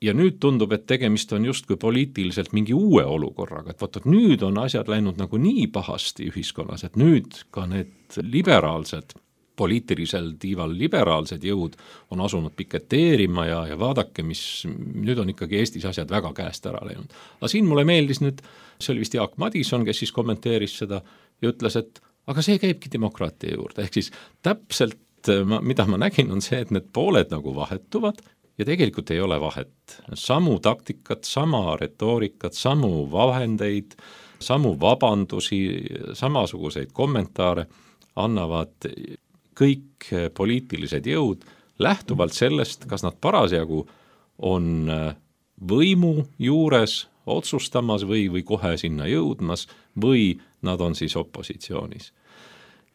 D: ja nüüd tundub, et tegemist on justkui poliitiliselt mingi uue olukorraga, et võt, nüüd on asjad läinud nagu nii pahasti ühiskonnas, et nüüd ka need liberaalsed poliitilisel tiival liberaalsed jõud on asunud piketeerima ja, ja vaadake, mis nüüd on ikkagi Eestis asjad väga käest ära läinud. Aga siin mulle meeldis nüüd, see oli vist Jaak Madison, kes siis kommenteeris seda ja ütles, et aga see käibki demokraatia juurde. Ehk siis täpselt, mida ma nägin, on see, et need pooled nagu vahetuvad ja tegelikult ei ole vahet. Samu taktikat, sama retoorikat, samu vahendeid, samu vabandusi, samasuguseid kommentaare annavad kõik poliitilised jõud lähtuvalt sellest, kas nad parasjagu on võimu juures otsustamas või, või kohe sinna jõudmas või nad on siis opositsioonis.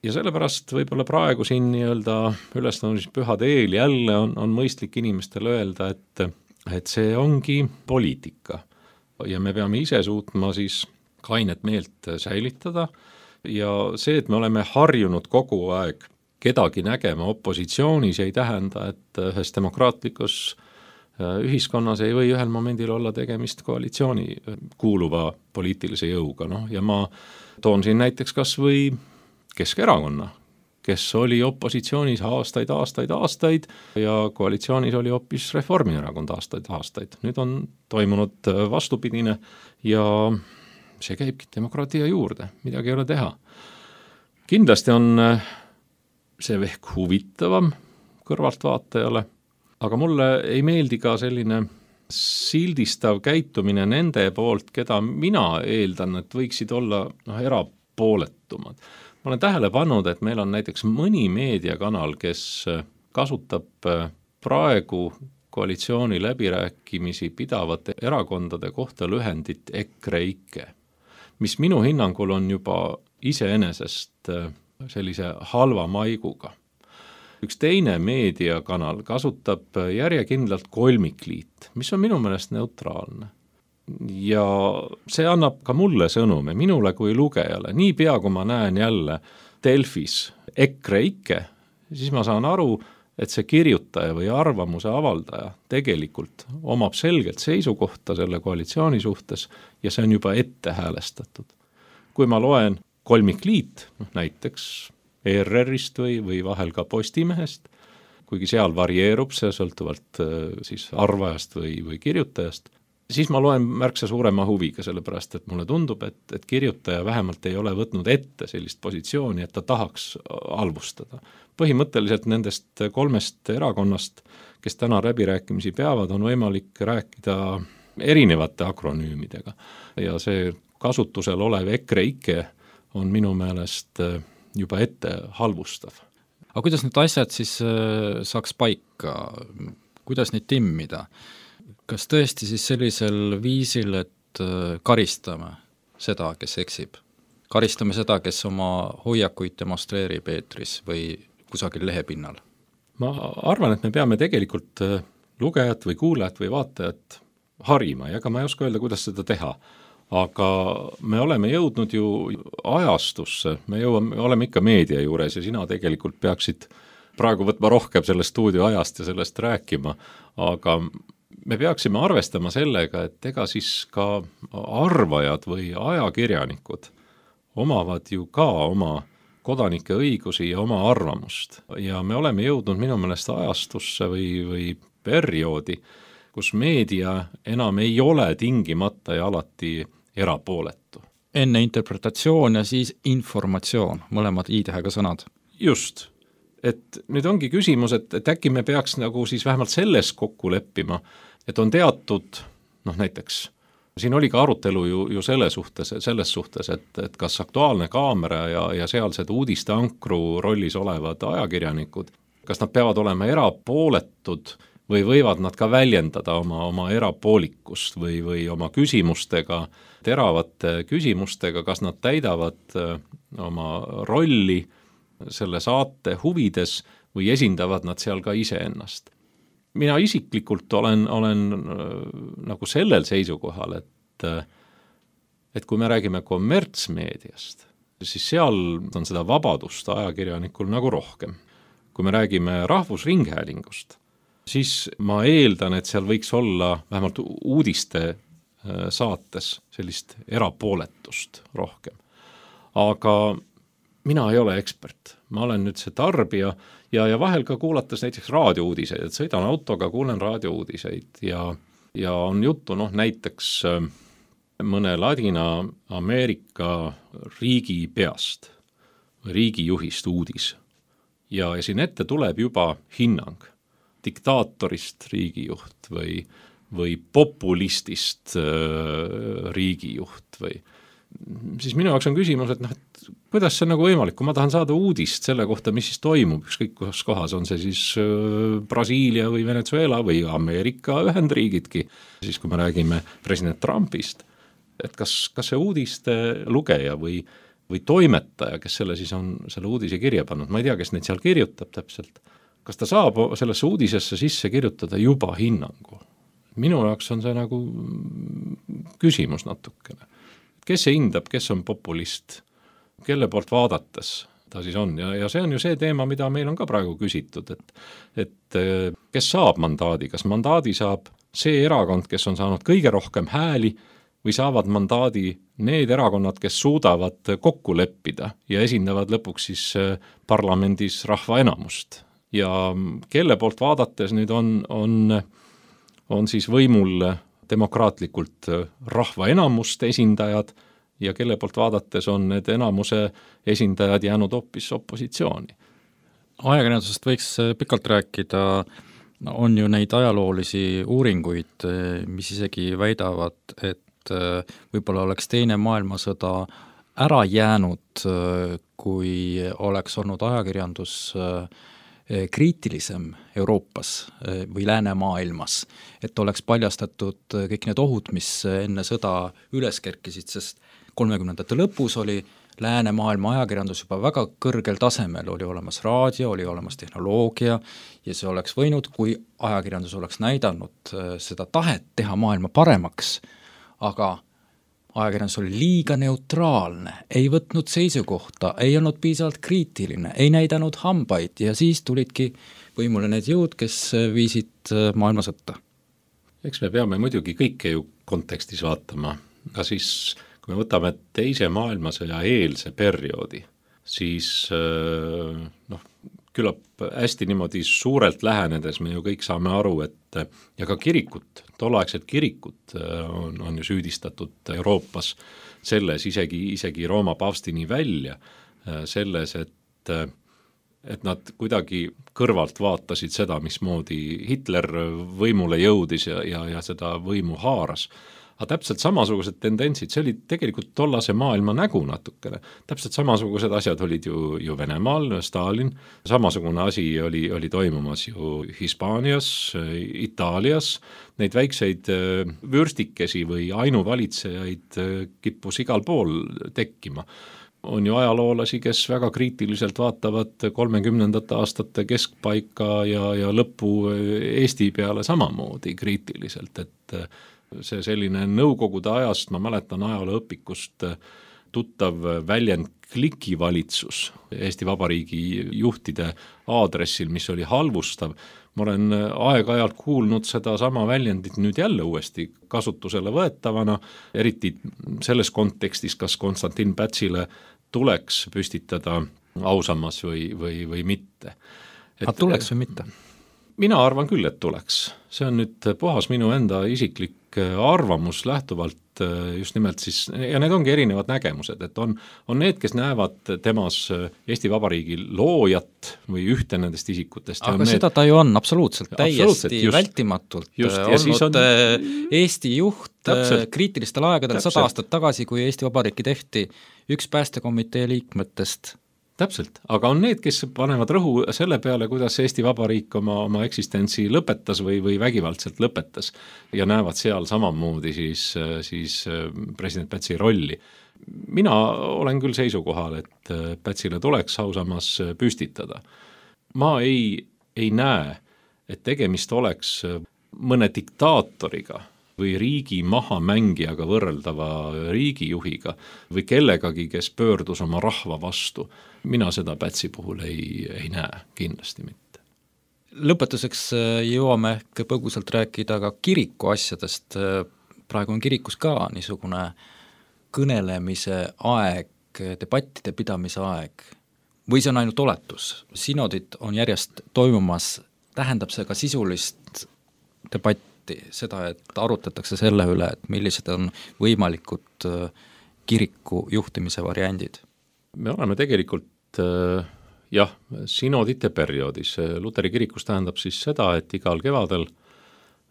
D: Ja sellepärast võib-olla praegu siin nii-öelda ülestõusmispühade eel jälle on, on mõistlik inimestele öelda, et, et see ongi poliitika ja me peame ise suutma siis kainet meelt säilitada ja see, et me oleme harjunud kogu aeg kedagi nägema opositsioonis ei tähenda, et ühes demokraatlikus ühiskonnas ei või ühel momendil olla tegemist koalitsiooni kuuluva poliitilise jõuga, noh, ja ma toon siin näiteks kas või Keskerakonna, kes oli opositsioonis aastaid, aastaid, aastaid ja koalitsioonis oli hoopis Reformierakond aastaid, aastaid. Nüüd on toimunud vastupidine ja see käibki demokraatia juurde, midagi ei ole teha. Kindlasti on see ehk huvitavam kõrvaltvaatajale, aga mulle ei meeldi ka selline sildistav käitumine nende poolt, keda mina eeldan, et võiksid olla noh, erapooletumad. Ma olen tähele pannud, et meil on näiteks mõni meediakanal, kes kasutab praegu koalitsiooni läbirääkimisi pidavate erakondade kohta lühendit E K R E I K E, mis minu hinnangul on juba iseenesest sellise halva maiguga. Üks teine meediakanal kasutab järjekindlalt kolmikliit, mis on minu meelest neutraalne. Ja see annab ka mulle sõnume, minule kui lugejale. Niipea, kui ma näen jälle Delfis E K R E I K E, siis ma saan aru, et see kirjutaja või arvamuse avaldaja tegelikult omab selgelt seisukohta selle koalitsiooni suhtes ja see on juba ette häälestatud. Kui ma loen kolmikliit, noh näiteks E R R-ist või, või vahel ka Postimehest, kuigi seal varieerub see sõltuvalt siis arvajast või, või kirjutajast, siis ma loen märksa suurema huviga, sellepärast et mulle tundub, et, et kirjutaja vähemalt ei ole võtnud ette sellist positsiooni, et ta tahaks halvustada. Põhimõtteliselt nendest kolmest erakonnast, kes täna läbirääkimisi peavad, on võimalik rääkida erinevate akronüümidega ja see kasutusel olev E K R E I K E on minu meelest juba ette halvustav.
B: Aga kuidas need asjad siis saaks paika? Kuidas neid timmida? Kas tõesti siis sellisel viisil, et karistame seda, kes eksib? Karistame seda, kes oma hoiakuid demonstreerib eetris või kusagil lehepinnal?
D: Ma arvan, et me peame tegelikult lugejat või kuulajat või vaatajat harima ja ka ma ei oska öelda, kuidas seda teha. Aga me oleme jõudnud ju ajastusse, me jõuame, me oleme ikka meedia juures ja sina tegelikult peaksid praegu võtma rohkem selle stuudio ajast ja sellest rääkima, aga me peaksime arvestama sellega, et ega siis ka arvajad või ajakirjanikud omavad ju ka oma kodanike õigusi ja oma arvamust ja me oleme jõudnud minu meelest ajastusse või, või perioodi, kus meedia enam ei ole tingimata ja alati erapooletu.
B: Enne interpretatsioon ja siis informatsioon, mõlemad i-tähega sõnad.
D: Just, et nüüd ongi küsimus, et, et äkki me peaks nagu siis vähemalt selles kokku leppima, et on teatud, noh näiteks, siin oli ka arutelu ju, ju selle suhtes, selles suhtes, et, et kas Aktuaalne Kaamera ja, ja sealsed uudiste ankru rollis olevad ajakirjanikud, kas nad peavad olema erapooletud või võivad nad ka väljendada oma, oma erapoolikust või, või oma küsimustega, teravate küsimustega, kas nad täidavad oma rolli selle saate huvides või esindavad nad seal ka iseennast. Mina isiklikult olen, olen nagu sellel seisukohal, et, et kui me räägime kommertsmeediast, siis seal on seda vabadust ajakirjanikul nagu rohkem. Kui me räägime rahvusringhäälingust, siis ma eeldan, et seal võiks olla vähemalt uudiste saates sellist erapooletust rohkem. Aga mina ei ole ekspert, ma olen nüüd see tarbija ja, ja vahel ka kuulates näiteks raadiouudiseid, et sõidan autoga, kuulen raadiouudiseid ja, ja on juttu noh, näiteks mõne Ladina-Ameerika riigi peast, riigijuhist uudis ja, ja siin ette tuleb juba hinnang diktaatorist riigijuht või, või populistist äh, riigijuht või siis minu jaoks on küsimus, et noh, et kuidas see on nagu võimalik, kui ma tahan saada uudist selle kohta, mis siis toimub, ükskõik kus kohas, on see siis äh, Brasiilia või Venezuela või Ameerika Ühendriigidki, siis kui me räägime president Trumpist, et kas, kas see uudiste lugeja või, või toimetaja, kes selle siis on selle uudise kirja pannud, ma ei tea, kes neid seal kirjutab täpselt, kas ta saab sellesse uudisesse sisse kirjutada juba hinnangu? Minu jaoks on see nagu küsimus natukene. Kes see hindab, kes on populist, kelle poolt vaadates ta siis on ja, ja see on ju see teema, mida meil on ka praegu küsitud, et, et kes saab mandaadi, kas mandaadi saab see erakond, kes on saanud kõige rohkem hääli või saavad mandaadi need erakonnad, kes suudavad kokku leppida ja esindavad lõpuks siis parlamendis rahva enamust. Ja kelle poolt vaadates nüüd on, on, on siis võimul demokraatlikult rahva enamust esindajad ja kelle poolt vaadates on need enamuse esindajad jäänud hoopis opositsiooni.
B: Ajakirjandusest võiks pikalt rääkida, on ju neid ajaloolisi uuringuid, mis isegi väidavad, et võib-olla oleks teine maailmasõda ära jäänud, kui oleks olnud ajakirjandus kriitilisem Euroopas või läänemaailmas, et oleks paljastatud kõik need ohud, mis enne sõda üles kerkisid, sest kolmekümnendate lõpus oli läänemaailma ajakirjandus juba väga kõrgel tasemel, oli olemas raadio, oli olemas tehnoloogia ja see oleks võinud, kui ajakirjandus oleks näidanud seda tahet teha maailma paremaks, aga ajakirjandus oli liiga neutraalne, ei võtnud seisukohta, ei olnud piisavalt kriitiline, ei näidanud hambaid ja siis tulidki võimule need jõud, kes viisid maailmasõtta.
D: Eks me peame muidugi kõike ju kontekstis vaatama, aga siis kui me võtame teise maailmasõja eelse perioodi, siis noh, küllap hästi niimoodi suurelt lähenedes me ju kõik saame aru, et ja ka kirikut, tolleaegset kirikut on, on ju süüdistatud Euroopas selles, isegi, isegi Rooma paavstini välja, selles, et, et nad kuidagi kõrvalt vaatasid seda, mismoodi Hitler võimule jõudis ja, ja, ja seda võimu haaras. Aga täpselt samasugused tendentsid, see oli tegelikult tollase maailma nägu natukene. Täpselt samasugused asjad olid ju, ju Venemaal, Stalin, samasugune asi oli, oli toimumas ju Hispaanias, Itaalias, neid väikseid vürstikesi või ainuvalitsejaid kippus igal pool tekkima. On ju ajaloolasi, kes väga kriitiliselt vaatavad kolmekümnendate aastate keskpaika ja, ja lõppu Eesti peale samamoodi kriitiliselt, et see selline nõukogude ajast, ma mäletan ajalooõpikust tuttav väljend klikivalitsus Eesti Vabariigi juhtide aadressil, mis oli halvustav. Ma olen aeg-ajalt kuulnud seda sama väljendit nüüd jälle uuesti kasutusele võetavana, eriti selles kontekstis, kas Konstantin Pätsile tuleks püstitada ausammas või, või, või mitte.
B: Et, A tuleks või mitte?
D: Mina arvan küll, et tuleks. See on nüüd puhas minu enda isiklik arvamus lähtuvalt just nimelt siis, ja need ongi erinevad nägemused, et on, on need, kes näevad temas Eesti Vabariigi loojat või ühte nendest isikutest.
B: Aga need... seda ta ju on absoluutselt, täiesti just, vältimatult just, olnud on... Eesti juht täpselt, kriitilistel aegadel sada aastat tagasi, kui Eesti Vabariiki tehti üks päästekomitee liikmetest.
D: Täpselt, aga on need, kes panevad rõhu selle peale, kuidas Eesti Vabariik oma, oma eksistentsi lõpetas või, või vägivaldselt lõpetas ja näevad seal samamoodi siis, siis president Pätsi rolli. Mina olen küll seisukohal, et Pätsile tuleks ausammas püstitada. Ma ei, ei näe, et tegemist oleks mõne diktaatoriga või riigi mahamängijaga võrreldava riigijuhiga või kellegagi, kes pöördus oma rahva vastu. Mina seda Pätsi puhul ei, ei näe, kindlasti mitte.
B: Lõpetuseks jõuame ehk põgusalt rääkida ka kiriku asjadest. Praegu on kirikus ka niisugune kõnelemise aeg, debattide pidamise aeg. Või see on ainult oletus? Sinodid on järjest toimumas, tähendab see ka sisulist debatti, seda, et arutatakse selle üle, et millised on võimalikud kiriku juhtimise variandid?
D: Me oleme tegelikult jah, sinodite perioodis. Luteri kirikus tähendab siis seda, et igal kevadel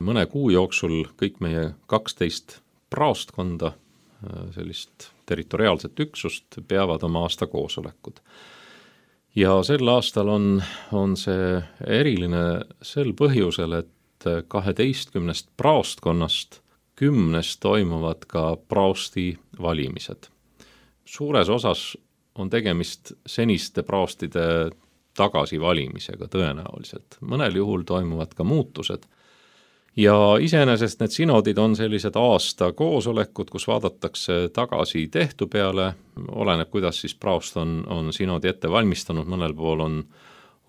D: mõne kuu jooksul kõik meie kaksteist praostkonda, sellist territoriaalset üksust, peavad oma aasta koosolekud. Ja sel aastal on, on see eriline sel põhjusel, et kaheteistkümnest praostkonnast kümnes toimuvad ka praosti valimised. Suures osas on tegemist seniste praostide tagasivalimisega tõenäoliselt. Mõnel juhul toimuvad ka muutused ja iseenesest need sinodid on sellised aasta koosolekud, kus vaadatakse tagasi tehtu peale, oleneb, kuidas siis praost on, on sinodi ette valmistanud, mõnel pool on,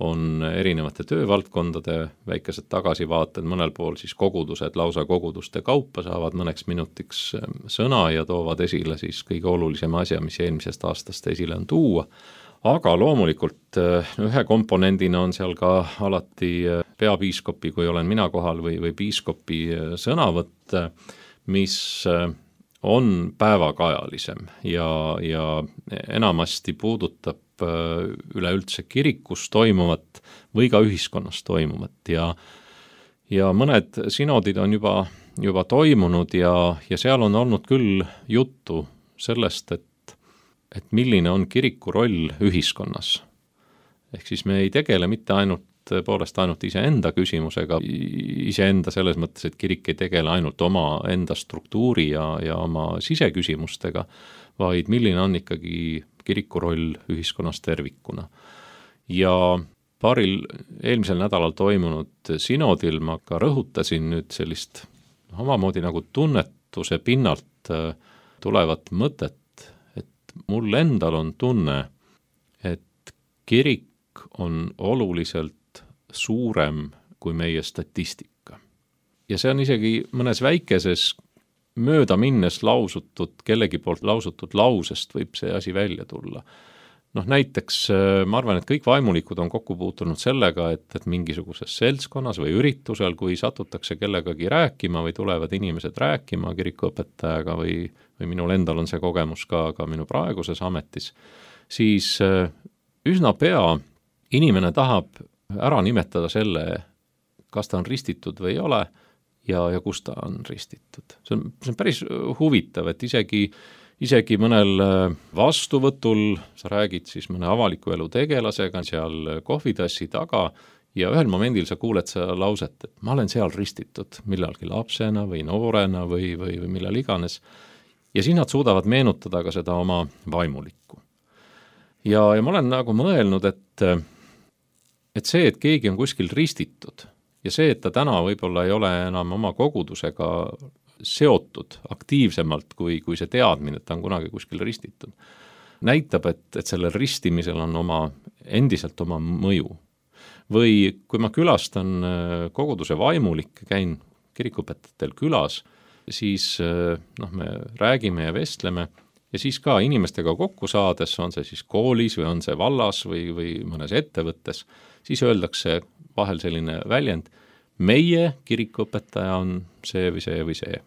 D: on erinevate töövaldkondade väikesed tagasivaated, mõnel pool siis kogudused, lausa koguduste kaupa saavad mõneks minutiks sõna ja toovad esile siis kõige olulisema asja, mis eelmisest aastast esile on tuua. Aga loomulikult ühe komponendina on seal ka alati peapiiskopi, kui olen mina kohal, või, või piiskopi sõnavõtt, mis on päevakajalisem ja, ja enamasti puudutab üleüldse kirikus toimuvat või ka ühiskonnas toimuvat ja, ja mõned sinodid on juba, juba toimunud ja, ja seal on olnud küll juttu sellest, et et milline on kiriku roll ühiskonnas. Ehk siis me ei tegele mitte ainult, poolest ainult iseenda küsimusega, iseenda selles mõttes, et kirik ei tegele ainult oma enda struktuuri ja, ja oma siseküsimustega, vaid milline on ikkagi kiriku roll ühiskonnas tervikuna. Ja paaril eelmisel nädalal toimunud sinodil ma ka rõhutasin nüüd sellist omamoodi nagu tunnetuse pinnalt tulevat mõtet, mul endal on tunne, et kirik on oluliselt suurem kui meie statistika. Ja see on isegi mõnes väikeses mööda minnes lausutud, kellegi poolt lausutud lausest võib see asi välja tulla. Noh, näiteks ma arvan, et kõik vaimulikud on kokku puutunud sellega, et, et mingisuguses seltskonnas või üritusel, kui satutakse kellegagi rääkima või tulevad inimesed rääkima kirikuõpetajaga või, või minul endal on see kogemus ka, ka minu praeguses ametis, siis üsna pea inimene tahab ära nimetada selle, kas ta on ristitud või ei ole ja, ja kus ta on ristitud. See on, see on päris huvitav, et isegi Isegi mõnel vastuvõtul sa räägid siis mõne avaliku elu tegelasega seal kohvitassi taga ja ühel momendil sa kuuled seda lauset, et ma olen seal ristitud millalgi lapsena või noorena või, või, või millal iganes. Ja siis nad suudavad meenutada ka seda oma vaimulikku. Ja, ja ma olen nagu mõelnud, et, et see, et keegi on kuskil ristitud ja see, et ta täna võib-olla ei ole enam oma kogudusega seotud aktiivsemalt kui, kui see teadmine, et ta on kunagi kuskil ristitud, näitab, et, et sellel ristimisel on oma, endiselt oma mõju. Või kui ma külastan koguduse vaimulikke, käin kirikuõpetajatel külas, siis noh, me räägime ja vestleme ja siis ka inimestega kokku saades, on see siis koolis või on see vallas või, või mõnes ettevõttes, siis öeldakse vahel selline väljend, meie kirikuõpetaja on see või see või see.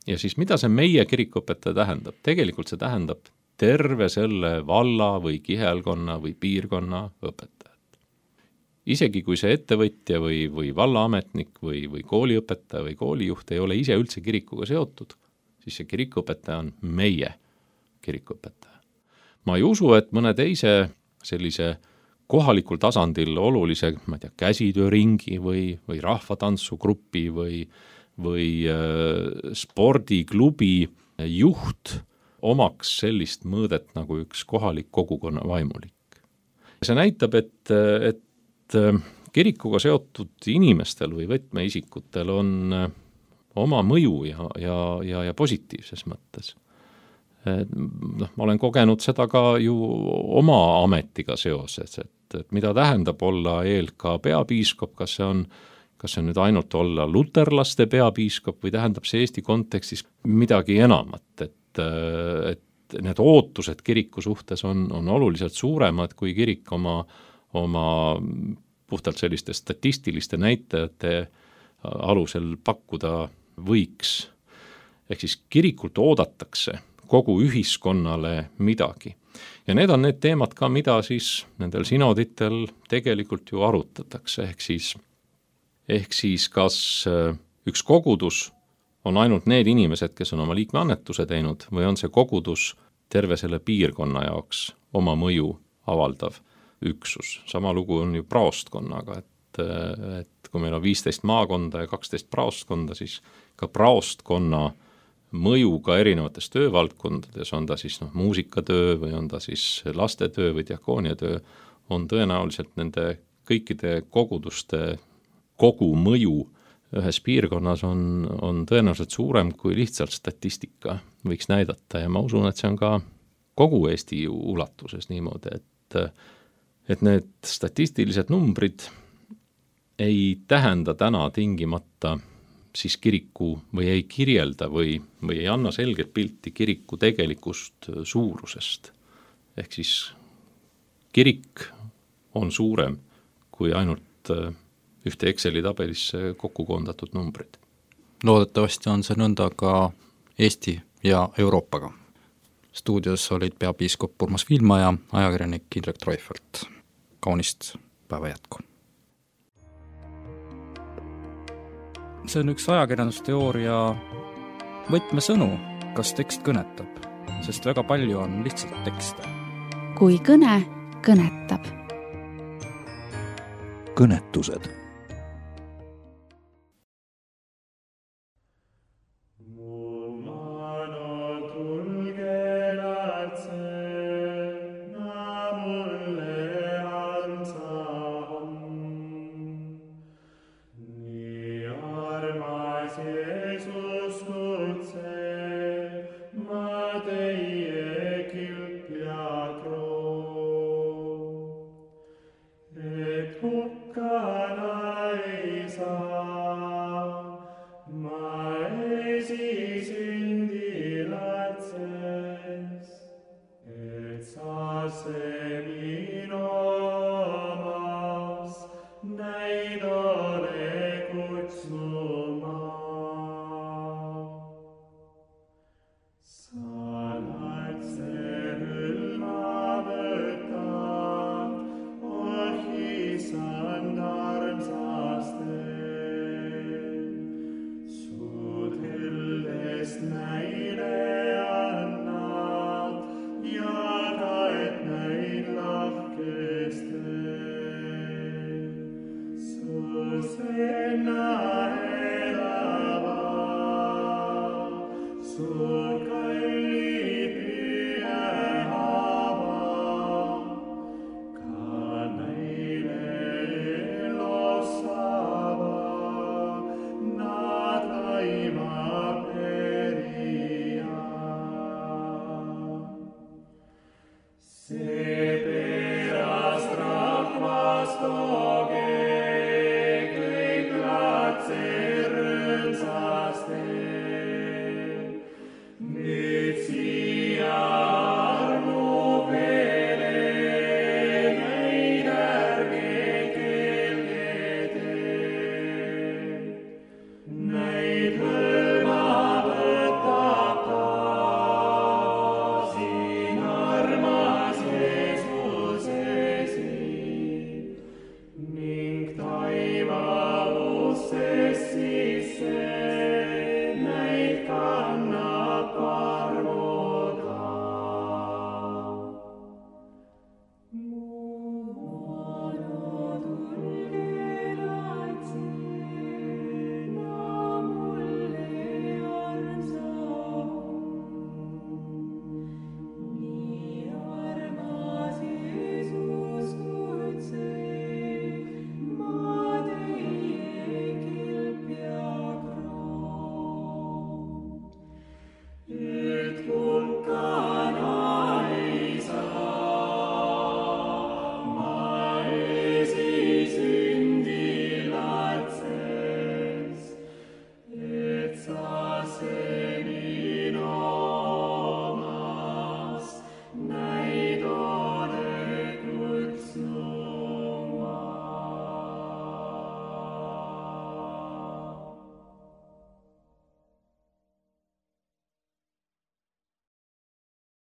D: Ja siis mida see meie kirikuõpetaja tähendab? Tegelikult see tähendab terve selle valla või kihelkonna või piirkonna õpetajat. Isegi kui see ettevõtja või, või vallaametnik või, või kooliõpetaja või koolijuht ei ole ise üldse kirikuga seotud, siis see kirikuõpetaja on meie kirikuõpetaja. Ma ei usu, et mõne teise sellise kohalikul tasandil olulise, ma ei tea, käsitööringi või, või rahvatantsugrupi või, või äh, spordiklubi juht omaks sellist mõõdet nagu üks kohalik kogukonna vaimulik. See näitab, et, et kirikuga seotud inimestel või võtmeisikutel on oma mõju ja, ja, ja, ja positiivses mõttes. No, ma olen kogenud seda ka ju oma ametiga seoses, et, et mida tähendab olla E L K peapiiskop, kas see on, kas see on nüüd ainult olla luterlaste peapiiskop või tähendab see Eesti kontekstis midagi enamat, et, et need ootused kiriku suhtes on, on oluliselt suuremad, kui kirik oma, oma puhtalt selliste statistiliste näitajate alusel pakkuda võiks. Ehk siis kirikult oodatakse kogu ühiskonnale midagi. Ja need on need teemad ka, mida siis nendel sinoditel tegelikult ju arutatakse, ehk siis, ehk siis kas üks kogudus on ainult need inimesed, kes on oma liikmeannetuse teinud, või on see kogudus terve selle piirkonna jaoks oma mõju avaldav üksus. Sama lugu on ju praostkonnaga, et, et kui meil on viisteist maakonda ja kaksteist praostkonda, siis ka praostkonna mõju ka erinevates töövaldkondades, on ta siis noh, muusikatöö või on ta siis lastetöö või diakooniatöö, on tõenäoliselt nende kõikide koguduste kogu mõju ühes piirkonnas on, on tõenäoliselt suurem, kui lihtsalt statistika võiks näidata ja ma usun, et see on ka kogu Eesti ulatuses niimoodi, et, et need statistilised numbrid ei tähenda täna tingimata siis kiriku või ei kirjelda või, või ei anna selget pilti kiriku tegelikust suurusest. Ehk siis kirik on suurem kui ainult ühte Exceli tabelisse kokku koondatud numbrid.
B: Loodetavasti on see nõnda ka Eesti ja Euroopaga. Stuudios olid peapiiskop Urmas Viilma ja ajakirjanik Indrek Treufelt. Kaunist päeva jätku! See on üks ajakirjandusteooria võtmesõnu, kas tekst kõnetab, sest väga palju on lihtsalt tekste.
C: Kui kõne kõnetab.
A: Kõnetused.
E: Stay.